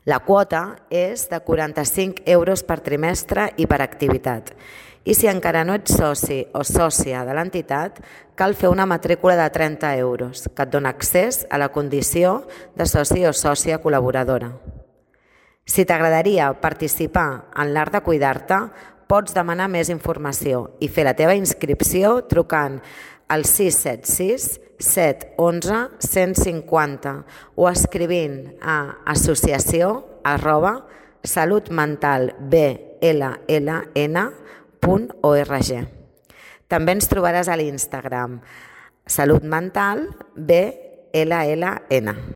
La quota és de 45 euros per trimestre i per activitat. I si encara no ets soci o sòcia de l'entitat, cal fer una matrícula de 30 euros, que et dona accés a la condició de soci o sòcia col·laboradora. Si t'agradaria participar en l'Art de Cuidar-te, pots demanar més informació i fer la teva inscripció trucant al 676 711 150 o escrivint a associació@salutmentalblln.org. També ens trobaràs a l'Instagram salutmentalblln.